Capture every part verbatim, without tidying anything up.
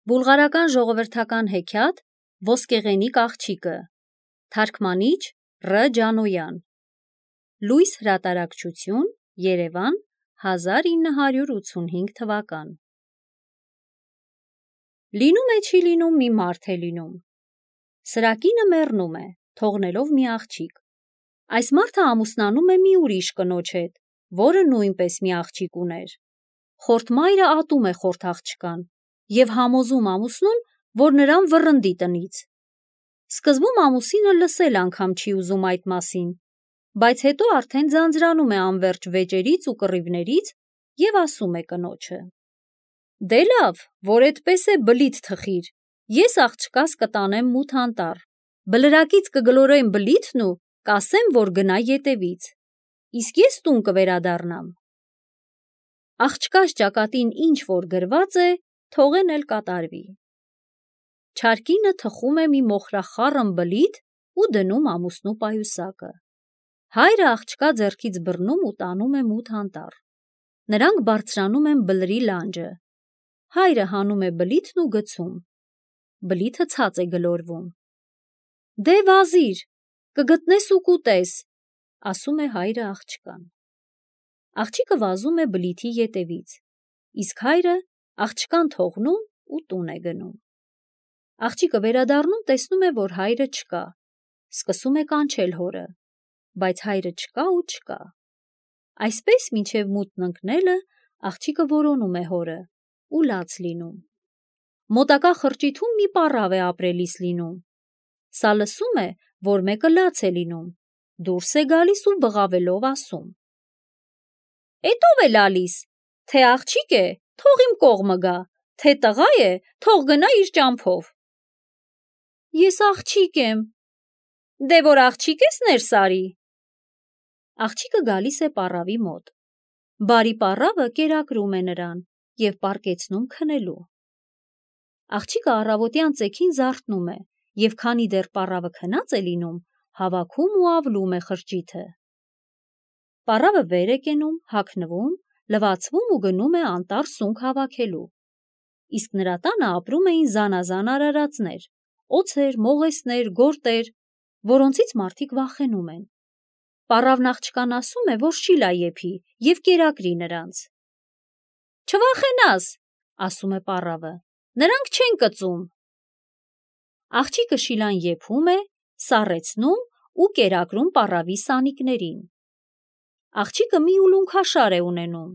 Բուլղարական ժողովրդական հեքիաթ Ոսկեղենիկ աղջիկը, թարգմանիչ Ռ. Ջանոյան, լույս հրատարակչություն, Երևան, հազար ինը հարյուր ութսունհինգ թվական։ Լինում է չի լինում մի մարդ է լինում։ Սրակինը մեռնում է, թողնելով մի աղջիկ։ Այս մարդը ամուսնանում է մի ուրիշ կնոջ հետ, որը նույնպես մի աղջիկ ուներ։ Խորթ մայրը ատում է խորթ աղջկան և համոզում ամուսնուն, որ նրան վռնդի տնից։ Սկզբում ամուսինը լսել անգամ չի ուզում այդ մասին, բայց հետո արդեն ձանձրանում է անվերջ վեճերից ու կռիվներից և ասում է կնոջը. «Դե լավ, որ էդպես է բլիթ թխիր, ես աղջկաս կտանեմ մութ անտառ, բլրակից կգլորեմ բլիթն ու կասեմ, որ գնա ետևից, իսկ ես տուն կվերադառնամ»։ Աղջկաս ճակատին ինչ որ գրված է, թողեն էլ կատարվի։ Չար կինը թխում է մի մոխրախառն բլիթ ու դնում ամուսնու պայուսակը։ Հայրը աղջկա ձեռքից բռնում ու տանում է մութ անտառ։ Նրանք բարձրանում են բլրի լանջը։ Հայրը հանում է բլիթն ու գցում։ Բլիթը ցած է գլորվում։ «Դե վազիր, կգտնես ու կուտես», ասում է հայրը աղջկան։ Աղջիկը վազում է բլիթի ետևից, իսկ հայրը աղջկան թողնում ու տուն է գնում։ Աղջիկը վերադառնում տեսնում է, որ հայրը չկա, սկսում է կանչել հորը, բայց հայրը չկա ու չկա։ Այսպես մինչև մութն ընկնելը աղջիկը որոնում է հորը ու լաց լինում։ Մոտակա խրճիթում մի պառավ է ապրելիս լինում։ Սա լսում է, որ մեկը լաց է լինում, դուրս է գալիս ու բղավելով ասում. «Էդ ո՞վ է լալիս, թե աղջիկ է, թող իմ կողմը գա, թե տղա է, թող գնա իր ճամփով»։ «Ես աղջիկ եմ»։ «Դե որ աղջիկ ես, ներս արի»։ Աղջիկը գալիս է պառավի մոտ։ Բարի պառավը կերակրում է նրան և պառկեցնում քնելու։ Աղջիկը առավոտյան ծեքին զարթնում է և քանի դեռ պառավը քնած է լինում, հավաքում ու ավլում է խրճիթը։ Պառավը վեր է կենում, հագնվում, լվացվում ու գնում է անտառ սունկ հավաքելու։ Իսկ նրա տանը ապրում էին զանազան արարածներ, օձեր, մողեսներ, գորտեր, որոնցից մարդիկ վախենում են։ Պառավն աղջկան ասում է, որ շիլա եփի և կերակրի նրանց։ «Չվախենաս», ասում է պառավը, «նրանք չեն կծում»։ Աղջիկը շիլան եփում է, սառեցնում ու կերակրում պառավի սանիկներին։ Աղջիկը մի ուլունքաշար է ունենում։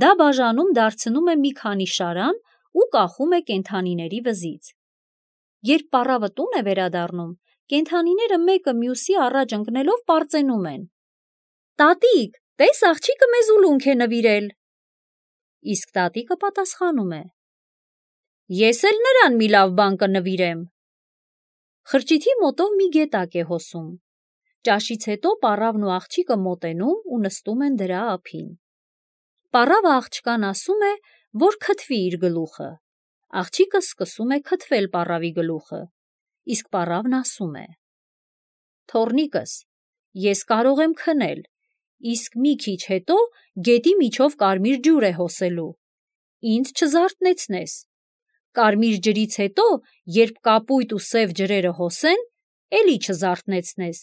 Դա բաժանում դարձնում է մի քանի շարան ու կախում է կենդանիների վզից։ Երբ պառավը տուն է վերադառնում, կենդանիները մեկը մյուսի առաջ ընկնելով պարծենում են. «Տատիկ, տես աղջիկը մեզ ուլունք է նվիրել»։ Իսկ տատիկը պատասխանում է. «Ես էլ նրան մի լավ բան կնվիրեմ»։ Խրճիթի մոտով մի գետակ է հոսում։ Ճաշից հետո պառավն ու աղջիկը մոտենում ու նստում են դրա ափին։ Պառավը աղջկան ասում է, որ քթվի իր գլուխը։ Աղջիկը սկսում է քթվել պառավի գլուխը, իսկ պառավն ասում է. «Թոռնիկս, ես կարող եմ քնել, իսկ մի քիչ հետո գետի միջով կարմիր ջուր է հոսելու, ինձ չզարթնեցնես։ Կարմիր ջրից հետո, երբ կապույտ ու սև ջրերը հոսեն, էլի չզարթնեցնես,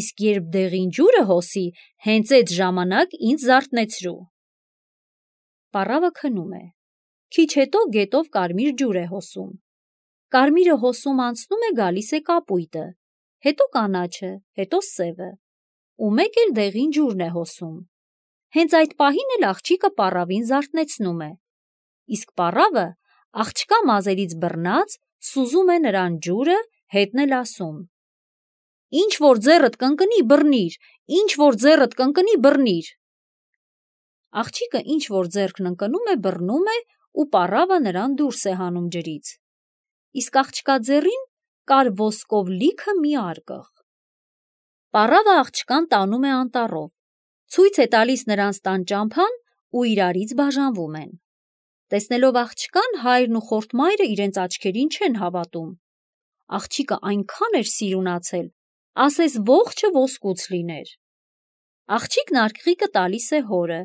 իսկ երբ դեղին ջուրը հոսի, հենց էդ ժամանակ ինձ զարթնեցրու»։ Պառավը քնում է։ Քիչ հետո գետով կարմիր ջուր է հոսում։ Կարմիրը հոսում անցնում է, գալիս է կապույտը, հետո կանաչը, հետո սևը, ու մեկ էլ դեղին ջուրն է հոսում։ Հենց այդ պահին էլ աղջիկը պառավին զարթնեցնում է, իսկ պառավը աղջկա մազերից բռնած սուզում է նրան ջուրը, հետն էլ ասում. «Ինչ որ ձեռդ կընկնի, բռնիր, ինչ որ ձեռդ կընկնի, բռնիր»։ Աղջիկը ինչ որ ձեռքն ընկնում է, բռնում է ու պառավը նրան դուրս է հանում ջրից։ Իսկ աղջկա ձեռին կար ոսկով լիքը մի արկղ։ Պառավը աղջկան տանում է անտառով, ցույց է տալիս նրանց տան ճամփան ու իրարից բաժանվում են։ Տեսնելով աղջկան, հայրն ու խորթ մայրը իրենց աչքերին չեն հավատում։ Աղջիկը այնքան էր սիրունացել, ասես ողջը ոսկուց լիներ։ Աղջիկն արկղիկը տալիս է հորը,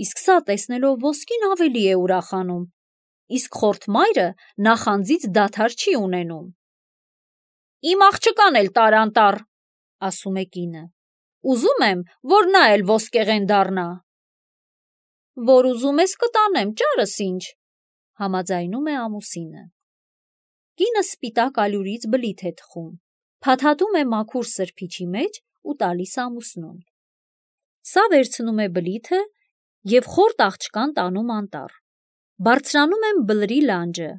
իսկ սա տեսնելով ոսկին ավելի է ուրախանում, իսկ խորթ մայրը նախանձից դադար չի ունենում։ Իմ աղջկան էլ տարանտառ, ասում է կինը, ուզում եմ, որ նա էլ ոսկեղեն դառնա։ Որ ուզում ես կտանեմ, ճարս ինչ, համաձայնում է ամուսինը։ Կինը սպիտակ ալյուրից բլիթ է թխում, փաթաթում է մաքուր սրբիչի մեջ ու տալիս ամուսնուն։ Սա վերցնում է բլիթը և խորթ աղջկան տանում անտառ։ Բարձրանում են բլրի լանջը։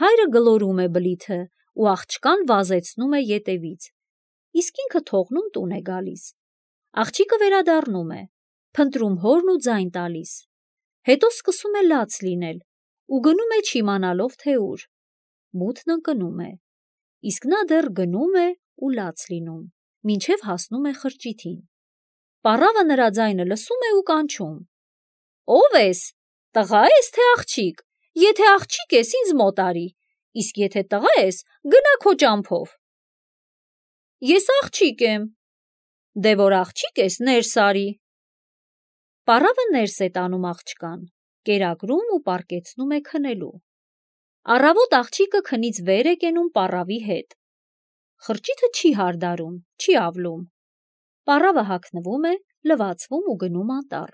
Հայրը գլորում է բլիթը ու աղջկան վազեցնում է ետևից, իսկ ինքը թողնում տուն է գալիս։ Աղջիկը վերադառնում է, փնտրում հորն ու ձայն տալիս, հետո սկսում է լաց լինել ու գնում է չիմանալով թե ուր։ Մութն ընկնում է, իսկ նա դեռ գնում է ու լաց լինում, մինչև հասնում է խրճիթին։ Պառավը նրա ձայնը լսում է ու կանչում. Ո՞վ ես, տղա ես թե աղջիկ, եթե աղջիկ ես, ինձ մոտ արի, իսկ եթե տղա ես, գնա քո ճամփով։ Ես աղջիկ եմ։ Դե որ աղջիկ ես, ներս արի։ Պառավը ներս է տանում աղջկան, կերակրում ու պառկեցնում է քնելու։ Առավոտ աղջիկը քնից վեր է կենում պառավի հետ։ Խրճիթը չի հարդարում, չի ավլում։ Պառավը հագնվում է, լվացվում ու գնում անտառ,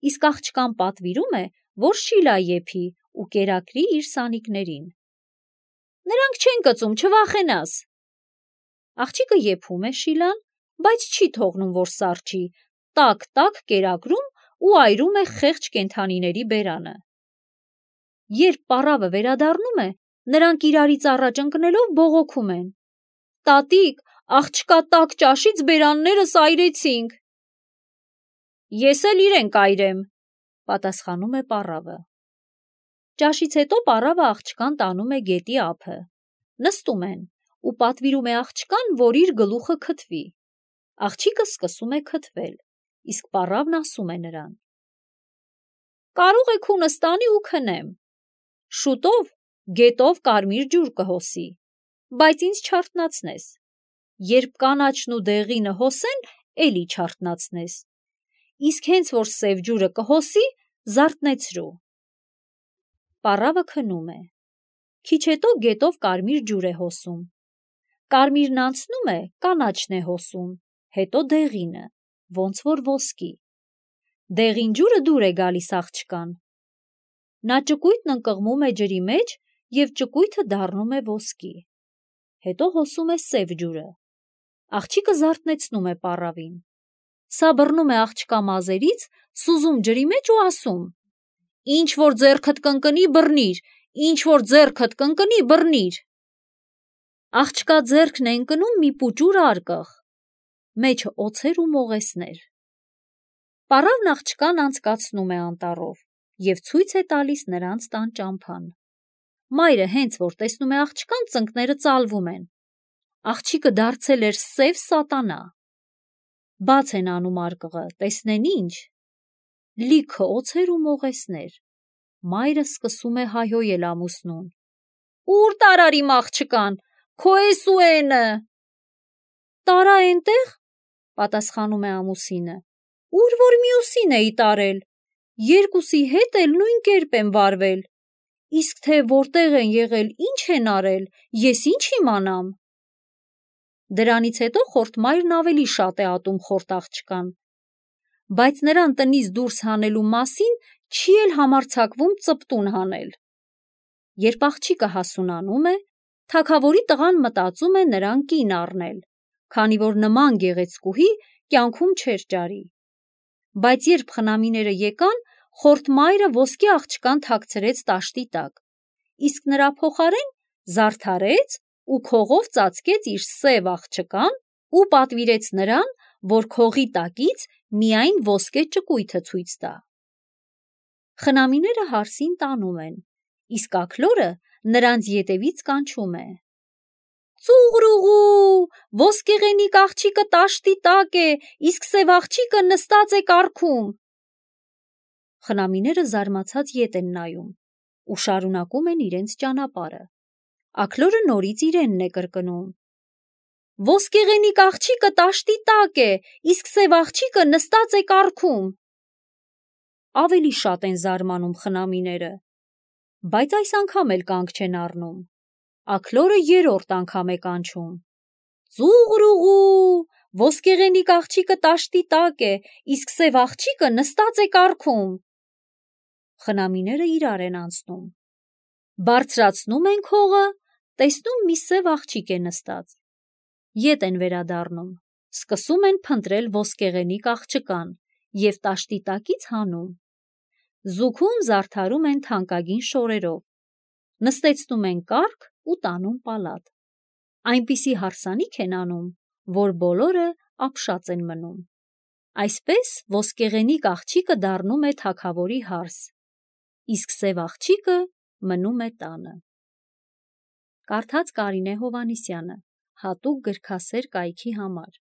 իսկ աղջկան պատվիրում է, որ շիլա եփի ու կերակրի իր սանիկներին։ Նրանք չեն կծում, չվախենաս։ Աղջիկը եփում է շիլան, բայց չի թողնում, որ սառչի, տակ-տակ կերակրում ու այրում է խեղճ կենդանիների բերանը։ Երբ պառավը վերադառնում է, նրանք իրարից առաջ ընկնելով բողոքում են. Տատիկ, աղջկա տաք ճաշից բերաններս այրեցինք։ Ես էլ իրեն կայրեմ, պատասխանում է պառավը։ Ճաշից հետո պառավը աղջկան տանում է գետի ափը։ Նստում են ու պատվիրում է աղջկան, որ իր գլուխը քթվի։ Աղջիկը սկսում է քթվել, իսկ պառավն ասում է նրան. Կարող եք հունս տանի ու քնեմ։ Շուտով գետով կարմիր ջուր կհոսի, բայց ինձ չարթնացնես։ Երբ կանաչն ու դեղինը հոսեն, էլի չարթնացնես։ Իսկ հենց որ սև ջուրը կհոսի, զարթնեցրու։ Պառավը քնում է։ Քիչ հետո գետով կարմիր ջուր է հոսում։ Կարմիրն անցնում է, կանաչն է հոսում, հետո դեղինը, ոնց որ ոսկի։ Դեղին ջուրը դուր է գալիս աղջկան։ Նա ճկույթն ընկղմում է ջրի մեջ և ճկույթը դառնում է ոսկի։ Հետո հոսում է սև ջուրը։ Աղջիկը զարթնեցնում է պառավին։ Սա բռնում է աղջկա մազերից, սուզում ջրի մեջ ու ասում. Ինչ որ ձեռքդ կընկնի, բռնիր, ինչ որ ձեռքդ կընկնի, բռնիր։ Աղջկա ձեռքն է ընկնում մի պուճուր արկղ, մեջը օձեր ու մողեսներ։ Պառավն աղջկան անցկացնում է անտառով և ցույց է տալիս նրանց տան ճամփան։ Մայրը հենց որ տեսնում է աղջկան, ծնկները ծալվում են։ Աղջիկը դարձել էր սև սատանա։ Բաց են անում արկղը, տեսնեն ինչ։ Լիքը օձեր ու մողեսներ։ Մայրը սկսում է հայհոյել ամուսնուն. Ուր տարար իմ աղջկան, քո էս ու էնը։ Տարա էնտեղ, պատասխանում է ամուսինը, ուր որ մյուսին էի տարել, երկուսի հետ էլ նույն կերպ եմ վարվել, իսկ թե որտեղ են եղել, ինչ են արել, ես ինչ իմանամ։ Դրանից հետո խորթ մայրն ավելի շատ է ատում խորթ աղջկան, բայց նրան տնից դուրս հանելու մասին չի էլ համարձակվում ծպտուն հանել։ Երբ աղջիկը հասունանում է, թագավորի տղան մտածում է նրան կին առնել, քանի որ նման գեղեցկուհի կյանքում չէր ճարի։ Բայց երբ խնամիները եկան, խորթ մայրը ոսկի աղջկան թաքցրեց տաշտի տակ, իսկ նրա փոխարեն զարդարեց ու քողով ծածկեց իր սև աղջկան ու պատվիրեց նրան, որ քողի տակից միայն ոսկե ճկույթը ցույց տա։ Խնամիները հարսին տանում են, իսկ աքլորը նրանց ետևից կանչում է. Ծուղրուղու, ոսկեղենիկ աղջիկը տաշտի տակ է, իսկ սև աղջիկը նստած է կառքում։ Խնամիները զարմացած ետ են նայում ու շարունակում են իրենց ճանապարհը։ Աքլորը նորից իրենն է կրկնում. Ոսկեղենիկ աղջիկը տաշտի տակ է, իսկ սև աղջիկը նստած է կառքում։ Ավելի շատ են զարմանում խնամիները։ բայց այս անգամ էլ կանգ չեն առնում։ Աքլորը երրորդ անգամ է կանչում. «Ծուղրուղու, ոսկեղենիկ աղջիկը տաշտի տակ է, իսկ սև աղջիկը նստած է կառքում»։ Խնամիները իրար են անցնում։ Բարձրացնում են քողը, տեսնում մի սև աղջիկ է նստած։ Ետ են վերադառնում, սկսում են փնտրել ոսկեղենիկ աղջկան և տաշտի տակից հանում։ Զուգում զարդարում են թանկագին շորերով, նստեցնում են կառք ու տանում պալատ։ Այնպիսի հարսանիք են անում, որ բոլորը ապշած են մնում։ Այսպես ոսկեղենիկ աղջիկը դառնում է թագավորի հարս, իսկ սև աղջիկը մնում է տանը։ Կարդաց Կարինե Հովհաննիսյանը, հատուկ գրքասեր կայքի համար։